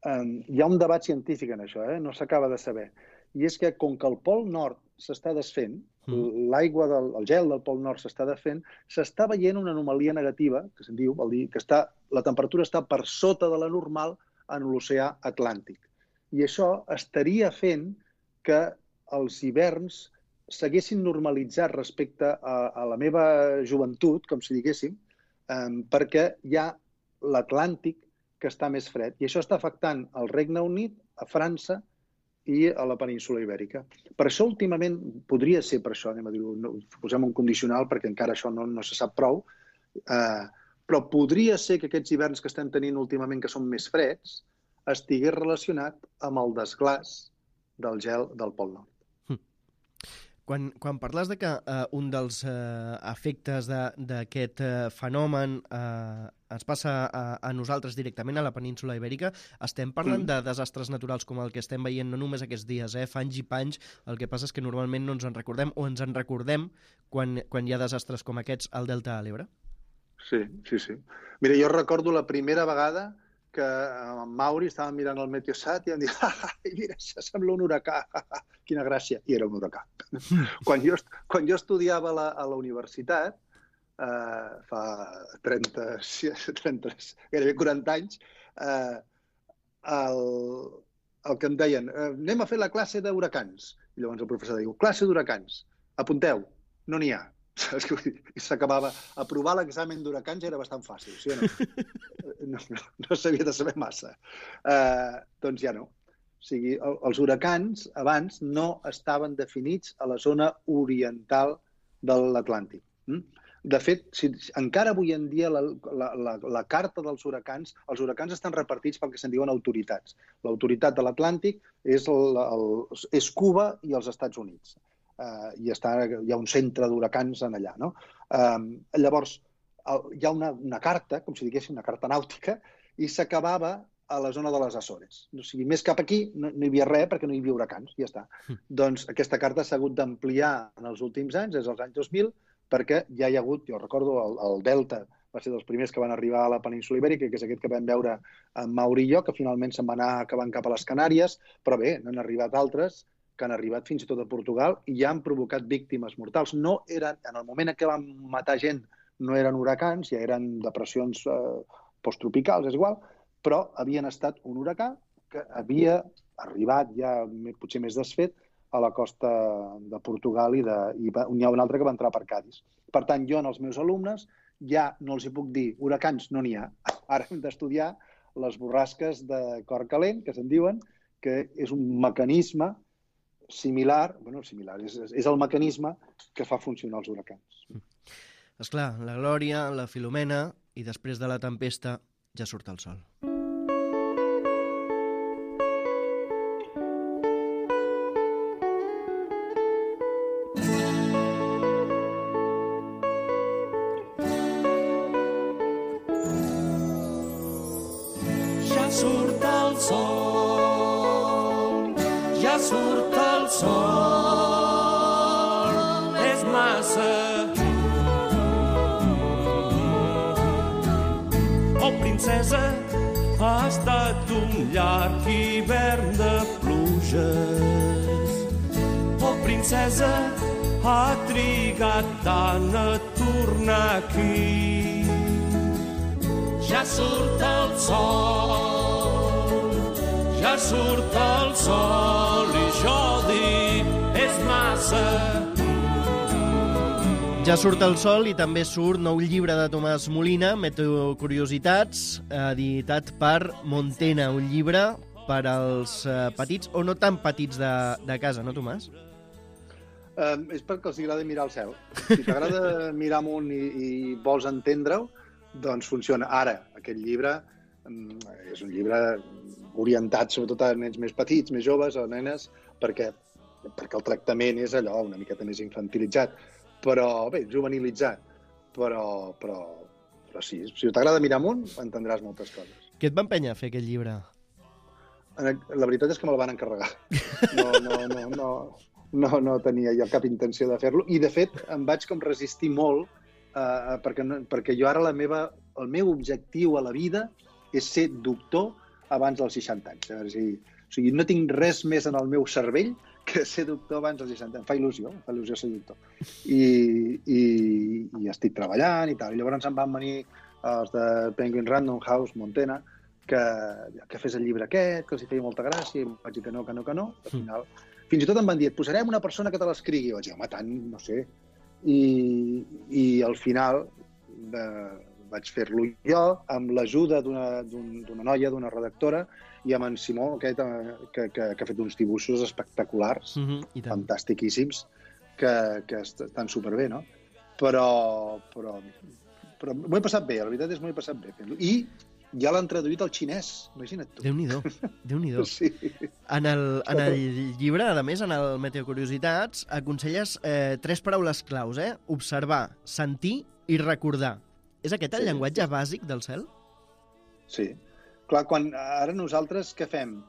hi ha un debat científic en això, no s'acaba de saber. I és que, com que el Pol Nord s'està desfent, l'aigua el gel del Pol Nord s'està desfent, s'està veient una anomalia negativa, que se'n diu, vol dir que la temperatura està per sota de la normal en l'oceà Atlàntic. I això estaria fent que els hiverns s'haguessin normalitzat respecte a la meva joventut, com si diguéssim, perquè hi ha l'Atlàntic que està més fred. I això està afectant al Regne Unit, a França i a la península Ibèrica. Per això, últimament, podria ser per això, anem a dir-ho, posem un condicional perquè encara això no se sap prou, però podria ser que aquests hiverns que estem tenint últimament, que són més freds, estigués relacionat amb el desglàs del gel del Pol Nord. Quan parles de que un dels efectes d'aquest fenomen ens passa a nosaltres directament, a la península Ibèrica, estem parlant de desastres naturals com el que estem veient no només aquests dies, fa anys i panys. El que passa és que normalment no ens en recordem o ens en recordem quan hi ha desastres com aquests al Delta de l'Ebre. Sí. Mira, jo recordo la primera vegada que en Mauri estava mirant el Meteosat i em diu, mira, això sembla un huracà, quina gràcia, i era un huracà. Quan jo estudiava a la universitat, fa 30, gairebé 40 anys, el que em deien, anem a fer la classe d'huracans. I llavors el professor diu, classe d'huracans, apunteu, no n'hi ha. I s'acabava. Aprovar l'examen d'huracans era bastant fàcil, sí o no? No s'havia de saber massa. Doncs ja no. O sigui, els huracans abans no estaven definits a la zona oriental de l'Atlàntic. De fet, encara avui en dia la carta dels huracans, els huracans estan repartits pel que se'n diuen autoritats. L'autoritat de l'Atlàntic és Cuba i els Estats Units. Hi ha un centre d'huracans en allà, no? Llavors, hi ha una carta, com si diguéssim, una carta nàutica, i s'acabava a la zona de les Açores. O sigui, més cap aquí no hi havia res perquè no hi havia huracans, ja està. Doncs aquesta carta s'ha hagut d'ampliar en els últims anys, des dels anys 2000, perquè ja hi ha hagut, jo recordo, el Delta va ser dels primers que van arribar a la península Ibèrica, que és aquest que vam veure en Mauri i jo, que finalment se'n va anar acabant cap a les Canàries, però bé, n'han arribat altres que han arribat fins i tot a Portugal i ja han provocat víctimes mortals. No eren, en el moment en què van matar gent, no eren huracans, ja eren depressions posttropicals, és igual, però havien estat un huracà que havia arribat ja potser més desfet a la costa de Portugal i n'hi ha un altre que va entrar per Cádiz. Per tant, jo als meus alumnes ja no els hi puc dir huracans, no n'hi ha. Ara hem d'estudiar les borrasques de cor calent, que se'n diuen, que és un mecanisme similar, és el mecanisme que fa funcionar els huracans. Esclar, la Glòria, la Filomena, i després de la tempesta ja surt el sol. Ja surt el sol, ja surt el sol, és massa. Oh, princesa, ha estat un llarg hivern de pluges. Oh, princesa, ha trigat tant a tornar aquí. Ja surt el sol, ja surt el sol i jo dic, és massa. Ja surt el sol i també surt nou llibre de Tomàs Molina, Meteocuriositats, editat per Montena, un llibre per als petits o no tan petits de casa, no, Tomàs? És perquè els agrada mirar el cel. Si t'agrada mirar amunt i vols entendre-ho, doncs funciona. Ara, aquest llibre és un llibre orientat sobretot a nens més petits, més joves, a nenes, perquè el tractament és allò una miqueta més infantilitzat, però bé, juvenilitzat. Però sí, si t'agrada mirar amunt, entendràs moltes coses. Què et va empènyer a fer aquest llibre? La veritat és que me'l van encarregar. No tenia jo cap intenció de fer-lo. I, de fet, em vaig com resistir molt perquè jo ara el meu objectiu a la vida és ser doctor abans dels 60 anys. O sigui, no tinc res més en el meu cervell que ser doctor abans dels 60 anys. Em fa il·lusió ser doctor. I estic treballant i tal. I llavors em van venir els de Penguin Random House, Montena, que fes el llibre aquest, que els hi feia molta gràcia, i vaig dir que no. Al final, fins i tot em van dir, et posarem una persona que te l'escrigui. I vaig dir, home, tant, no sé. I al final vaig fer-lo jo amb l'ajuda d'una noia, d'una redactora, i amb en Simó, aquest, que ha fet uns dibuixos espectaculars, fantàstiquíssims, que estan superbé, no? Però m'ho he passat bé, la veritat és que m'ho he passat bé fent-lo. I ja l'han traduït al xinès, imagina't tu. Déu-n'hi-do. Sí. En el llibre, a més, en el Meteocuriositats, aconselles 3 paraules claus, observar, sentir i recordar. És aquest el llenguatge bàsic del cel? Sí. Clar, ara nosaltres què fem?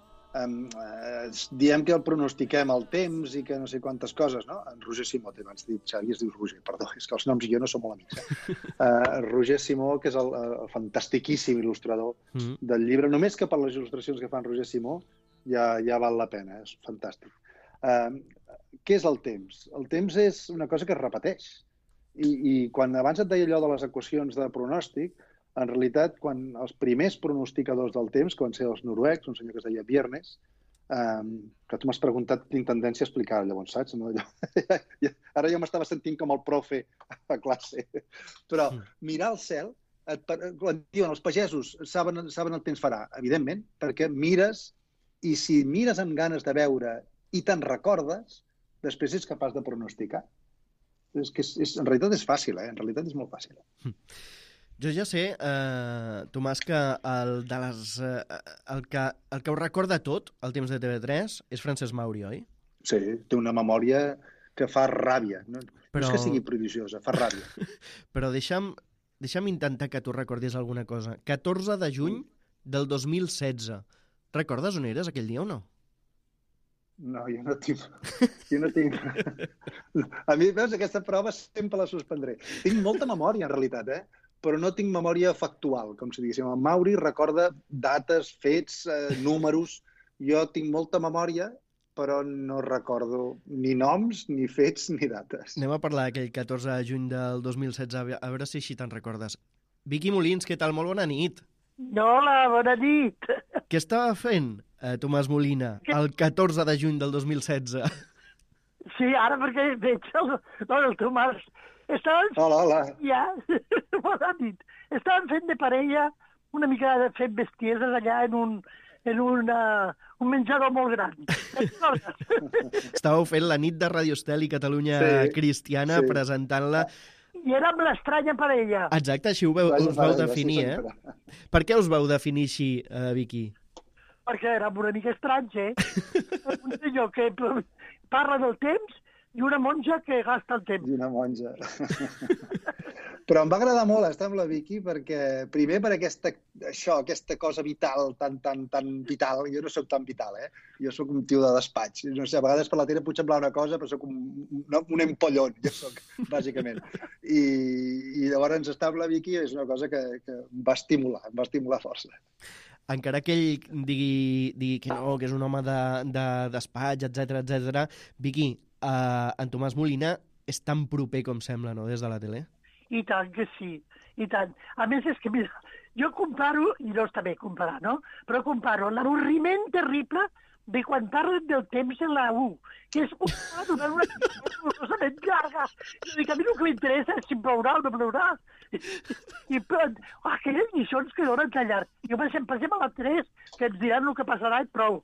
Diem que el pronostiquem el temps i que no sé quantes coses, no? En Roger Simó, abans dit Xavi, es diu Roger, perdó, és que els noms i jo no som molt amics. Roger Simó, que és el fantastiquíssim il·lustrador del llibre, només que per les il·lustracions que fa en Roger Simó ja val la pena, és fantàstic. Què és el temps? El temps és una cosa que es repeteix. I quan abans et deia allò de les equacions de pronòstic, en realitat, quan els primers pronosticadors del temps, que van ser els noruecs, un senyor que es deia Bjernes, que tu m'has preguntat, tinc tendència a explicar, llavors, saps? Ara jo m'estava sentint com el profe a classe. Però mirar el cel, quan diuen els pagesos saben el temps farà, evidentment, perquè mires, i si mires amb ganes de veure i te'n recordes, després ets capaç de pronosticar. En realitat és fàcil, en realitat és molt fàcil. Jo ja sé, Tomàs, que el que ho recorda tot, el temps de TV3, és Francesc Mauri, oi? Sí, té una memòria que fa ràbia. No és que sigui prodigiosa, fa ràbia. Però deixa'm intentar que tu recordis alguna cosa. 14 de juny del 2016. Recordes on eres aquell dia o no? No, jo no tinc... A mi, veus, aquesta prova sempre la suspendré. Tinc molta memòria, en realitat, però no tinc memòria factual, com si diguéssim. El Mauri recorda dates, fets, números. Jo tinc molta memòria però no recordo ni noms, ni fets, ni dates. Anem a parlar d'aquell 14 de juny del 2016, a veure si així te'n recordes. Vicky Molins, què tal? Molt bona nit. Hola, bona nit. Què estava fent Tomàs Molina el 14 de juny del 2016? Sí, ara perquè veig el Tomàs. Hola. Ja, bona nit. Estàvem fent de parella una mica fent bestieses allà en un menjador molt gran. Estàveu fent la nit de Radio Estel i Catalunya Cristiana, presentant-la. I érem l'estranya parella. Exacte, així us vau definir, Per què us vau definir així, Vicky? Perquè érem una mica estranys, Un senyor que parla del temps i una monja que gasta el temps. I una monja. Però em va agradar molt estar amb la Vicky perquè, primer, per aquesta cosa vital, tan vital. Jo no soc tan vital, Jo soc un tio de despatx. No sé, a vegades per la tele puc semblar una cosa, però soc un empollon, jo soc, bàsicament. I llavors estar amb la Vicky és una cosa que em va estimular força. Encara que ell digui que no, que és un home de despatx, etc. Vicky, en Tomàs Molina és tan proper com sembla, no?, des de la tele? I tant que sí, i tant. A més, és que, mira, jo comparo, i no està bé comparar, no? Però comparo l'avorriment terrible de quan parlen del temps en la U, que és durant una horrorosament llarga. I dic, a mi el que m'interessa és si plourà o no plourà. I aquelles lliçons que donen tan llarg. Jo pensem a la 3, que ens diran el que passarà i prou.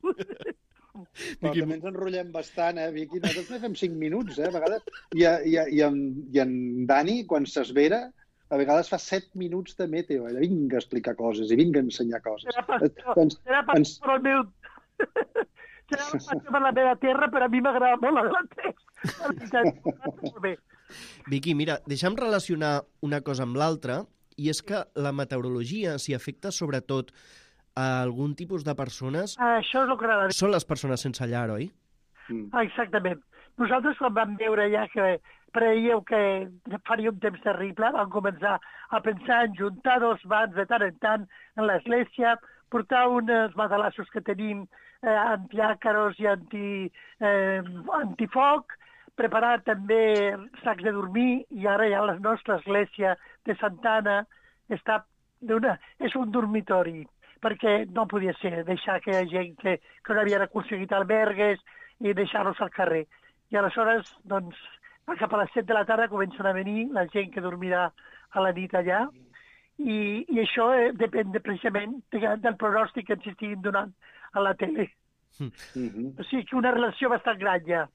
Però també ens enrotllem bastant, Vicky? Nosaltres ne fem 5 minuts, a vegades. I en Dani, quan s'esvera, a vegades fa 7 minuts de meteo. Vinga a explicar coses i vinga a ensenyar coses. Serà pastor el meu... Serà pastor per la meva terra, però a mi m'agrada molt la de la 3. Molt bé. Vicky, mira, deixa'm relacionar una cosa amb l'altra, i és que la meteorologia s'hi afecta sobretot a algun tipus de persones... Això és el que agrada. Són les persones sense llar, oi? Exactament. Nosaltres, quan vam veure ja que preieu que faria un temps terrible, vam començar a pensar en juntar 2 vans de tant en tant en l'església, portar uns matalassos que tenim antiàcaros i antifoc, preparar també sacs de dormir, i ara ja la nostra església de Santa Anna és un dormitori, perquè no podia ser deixar aquella gent que no havien aconseguit albergues i deixar-los al carrer. I aleshores, doncs, cap a les 7 de la tarda comencen a venir la gent que dormirà a la nit allà, i això depèn precisament del pronòstic que ens estiguin donant a la tele. O sigui que una relació bastant gran ja.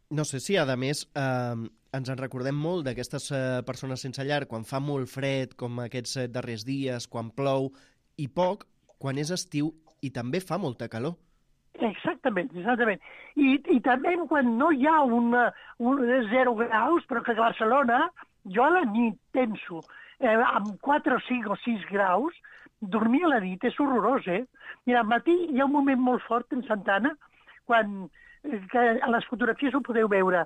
No sé si, a més, ens en recordem molt d'aquestes persones sense llar quan fa molt fred, com aquests darrers dies, quan plou, i poc, quan és estiu i també fa molta calor. Exactament. I també quan no hi ha 0 graus, però que a Barcelona, jo a la nit penso, amb 4 o 5 o 6 graus, dormir a la nit és horrorós, Mira, al matí hi ha un moment molt fort en Santa Anna, quan a les fotografies ho podeu veure.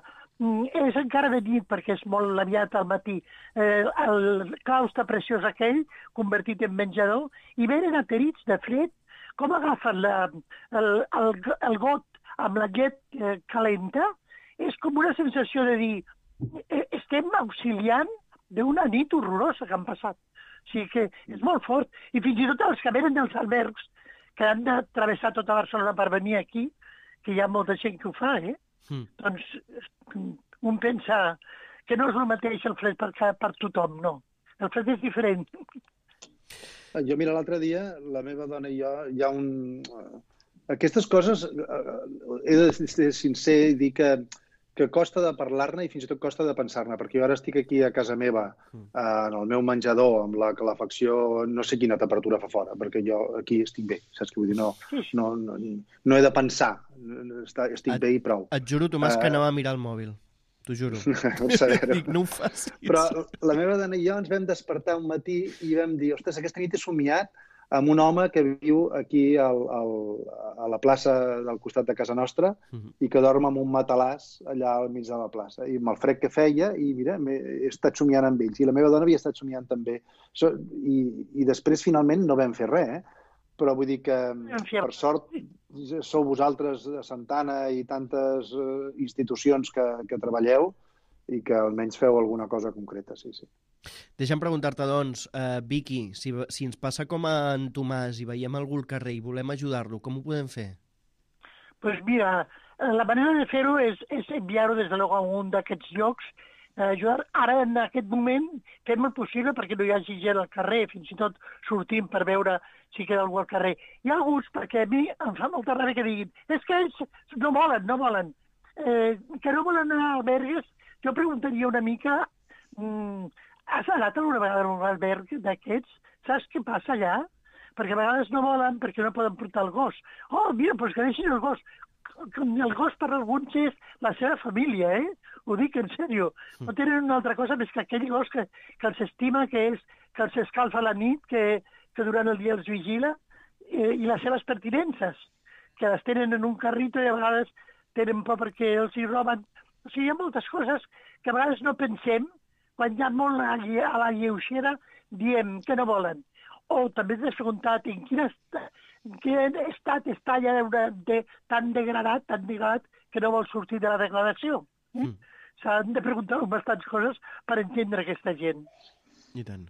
És encara de nit perquè és molt aviat al matí. El claustre preciós aquell, convertit en menjador, i venen aterits de fred, com agafen el got amb la llet calenta, és com una sensació de dir estem auxiliant d'una nit horrorosa que han passat. O sigui que és molt fort. I fins i tot els que venen dels albergs, que han de travessar tota Barcelona per venir aquí, que hi ha molta gent que ho fa, doncs un pensa que no és el mateix el fred per tothom, no. El fred és diferent. Jo, mira, l'altre dia, la meva dona i jo, hi ha aquestes coses, he de ser sincer i dir que costa de parlar-ne i fins i tot costa de pensar-ne, perquè jo ara estic aquí a casa meva, en el meu menjador, amb la calefacció, no sé quina temperatura fa fora, perquè jo aquí estic bé, saps què vull dir? No he de pensar, estic bé i prou. Et juro, Tomàs, que anava a mirar el mòbil. T'ho juro. Dic, no ho facis. Però la meva dona i jo ens vam despertar un matí i vam dir, ostres, aquesta nit he somiat amb un home que viu aquí a la plaça del costat de casa nostra i que dorm amb un matalàs allà al mig de la plaça. I amb el fred que feia, i mira, he estat somiant amb ells. I la meva dona havia estat somiant també. I després, finalment, no vam fer res, però vull dir que, per sort, sou vosaltres a Santana i tantes institucions que treballeu i que almenys feu alguna cosa concreta, sí. Deixa'm preguntar-te, doncs, Vicky, si ens passa com a en Tomàs i veiem algú al carrer i volem ajudar-lo, com ho podem fer? Pues mira, la manera de fer-ho és enviar-ho des de a un d'aquests llocs, ajudar. Ara, en aquest moment, fem el possible perquè no hi hagi gent al carrer, fins i tot sortim per veure si queda algú al carrer. Hi ha alguns, perquè a mi em fa molta ràbia que diguin és que ells no volen. Que no volen anar a albergues. Jo preguntaria una mica, has anat alguna vegada a un alberg d'aquests? Saps què passa allà? Perquè a vegades no volen, perquè no poden portar el gos. Oh, mira, doncs que deixin el gos. El gos per alguns és la seva família, Ho dic en sèrio. No tenen una altra cosa més que aquell gos que els estima, que els escalfa a la nit, que durant el dia els vigila, i les seves pertinences, que les tenen en un carrito i a vegades tenen por perquè els hi roben. O sigui, hi ha moltes coses que a vegades no pensem, quan hi ha molt a la lleugera, diem que no volen. O també t'has preguntat en quin estat està allà tan degradat que no vol sortir de la degradació. S'han de preguntar bastants coses per entendre aquesta gent. I tant.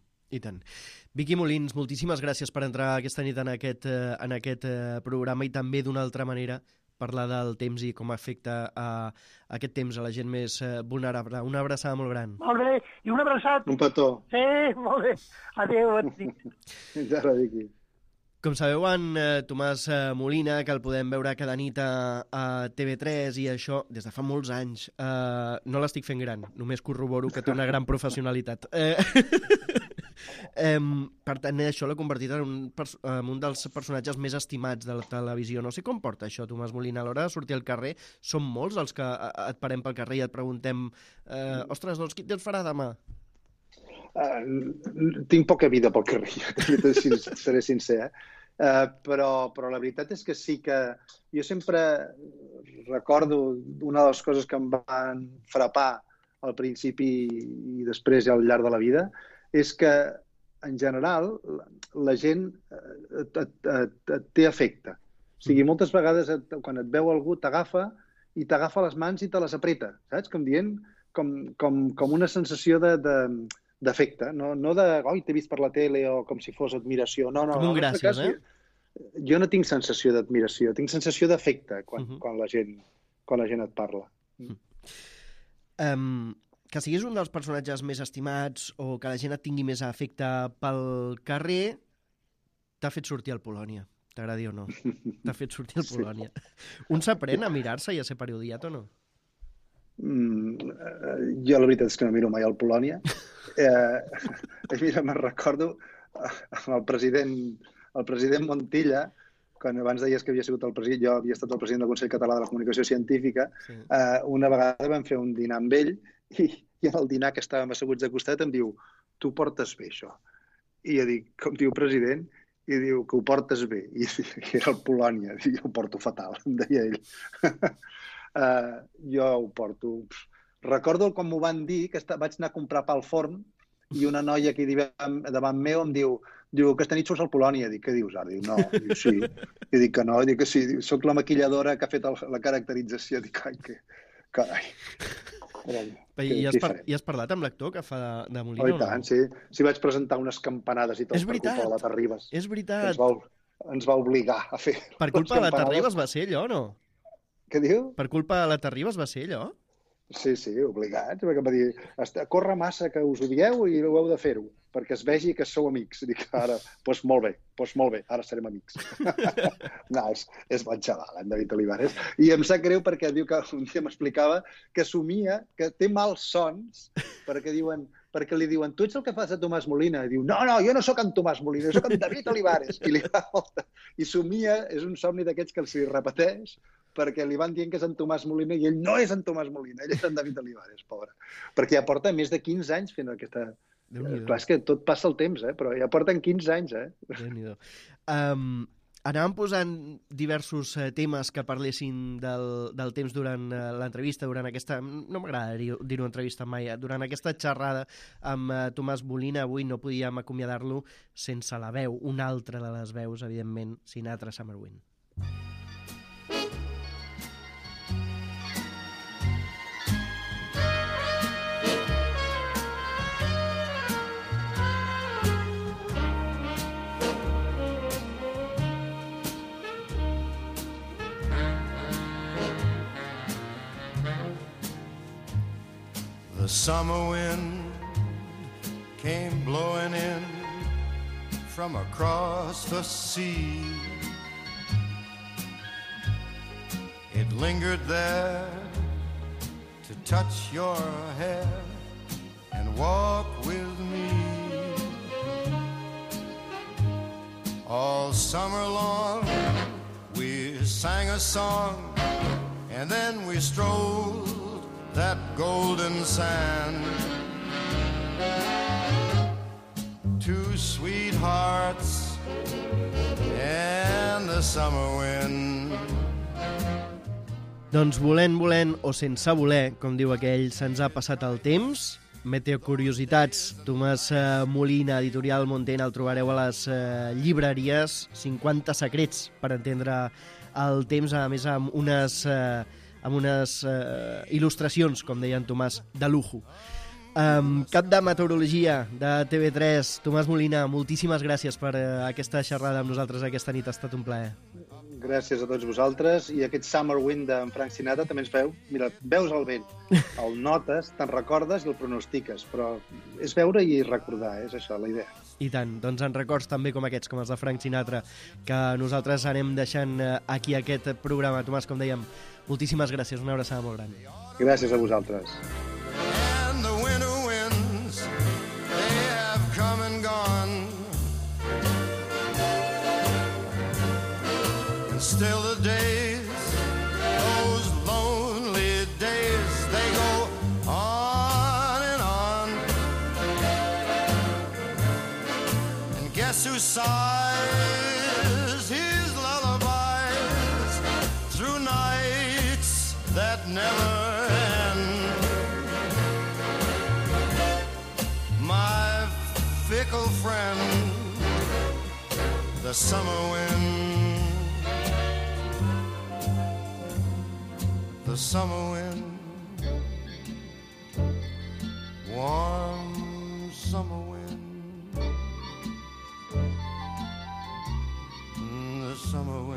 Vicky Molins, moltíssimes gràcies per entrar aquesta nit en aquest programa i també d'una altra manera parlar del temps i com afecta aquest temps a la gent més vulnerable. Una abraçada molt gran. Molt bé, i un abraçat. Un petó. Sí, molt bé. Adéu, bon nit. Fins ara, Vicky. Com sabeu, en Tomàs Molina, que el podem veure cada nit a TV3 i això des de fa molts anys, no l'estic fent gran, només corroboro que té una gran professionalitat. Per tant, això l'ha convertit en un dels personatges més estimats de la televisió. No sé com porta això, Tomàs Molina. A l'hora de sortir al carrer, som molts els que et parem pel carrer i et preguntem ostres, doncs qui te'ls farà demà? Tinc poca vida pel carrer, seré sincer, però la veritat és que sí que jo sempre recordo una de les coses que em van frapar al principi i després al llarg de la vida és que en general la gent et té afecte. O sigui, moltes vegades quan et veu algú t'agafa i t'agafa les mans i te les apreta, saps? Com dient, com una sensació d'afecte, no de, oi, t'he vist per la tele o com si fos admiració. No, com un gràcies, Jo no tinc sensació d'admiració, tinc sensació d'afecte quan la gent et parla. Que siguis un dels personatges més estimats o que la gent et tingui més afecte pel carrer t'ha fet sortir al Polònia, t'agradi o no. T'ha fet sortir al Polònia. Un s'aprèn a mirar-se i a ser parodiat o no? Jo la veritat és que no miro mai al Polònia. Mira, me'n recordo amb el president Montilla, quan abans deies que havia sigut el president, jo havia estat el president del Consell Català de la Comunicació Científica, una vegada vam fer un dinar amb ell i en el dinar que estàvem asseguts de costat em diu, tu portes bé això. I jo dic, com diu president? I diu que ho portes bé. I era el Polònia, i jo ho porto fatal, em deia ell. Jo ho porto. Recordo com m'ho van dir, que vaig anar a comprar pa al forn i una noia aquí davant meu em diu que aquesta nit surts al Polònia. Dic, què dius ara? Diu, no. Diu, sí. I dic que no. Dic que sí. Soc la maquilladora que ha fet la caracterització. Dic, ai, que... Carai. I has parlat amb l'actor que fa de Molina? Oh, i tant, sí. Sí, vaig presentar unes campanades i tot per culpa de la Terribas. És veritat. Ens va obligar a fer... Per culpa de la Terribas va ser allò, no? Què diu? Per culpa de la Terribas va ser allò? Sí, obligats. Perquè em va dir, corre massa que us odieu i ho heu de fer-ho, perquè es vegi que sou amics. I dic, ara, doncs molt bé, ara serem amics. No, és bon xaval, en David Olivares. I em sap greu perquè diu que un dia m'explicava que somia, que té mals sons, perquè li diuen, tu ets el que fas a Tomàs Molina? I diu, no, jo no sóc en Tomàs Molina, jo sóc en David Olivares. I li fa molta... I somia, és un somni d'aquests que s'hi repeteix, perquè li van dient que és en Tomàs Molina i ell no és en Tomàs Molina, ell és en David Olivares, pobre. Perquè ja porta més de 15 anys fent aquesta... Clar, és que tot passa el temps, però ja porten 15 anys, Déu-n'hi-do. Anàvem posant diversos temes que parlessin del temps durant l'entrevista, durant aquesta... No m'agrada dir-ho entrevista mai, durant aquesta xerrada amb Tomàs Molina. Avui no podíem acomiadar-lo sense la veu, una altra de les veus, evidentment, Sinatra, Summer Wind. The summer wind came blowing in from across the sea. It lingered there to touch your hair and walk with me. All summer long we sang a song, and then we strolled that golden sand. Two sweethearts and the summer wind. Doncs volent o sense voler, com diu aquell, se'ns ha passat el temps. Meteocuriositats, Tomàs Molina, editorial Montena, el trobareu a les llibreries. 50 secrets per entendre el temps, a més amb unes il·lustracions, com deia en Tomàs, de lujo. Cap de meteorologia de TV3, Tomàs Molina, moltíssimes gràcies per aquesta xerrada amb nosaltres aquesta nit, ha estat un plaer. Gràcies a tots vosaltres, i aquest Summer Wind d'en Frank Sinatra també ens veu. Mira, veus el vent, el notes, te'n recordes i el pronostiques, però és veure i recordar, és això, la idea. I tant, doncs en records també com aquests, com els de Frank Sinatra, que nosaltres anem deixant aquí aquest programa. Tomàs, com dèiem, moltíssimes gràcies, una abraçada molt gran. Gràcies a vosaltres. And the winter winds, they have come and gone. And still the days, those lonely days, they go on and on. And guess who sighs his lullabies through nights that never end? My fickle friend, the summer wind. The summer wind, warm summer wind, the summer wind.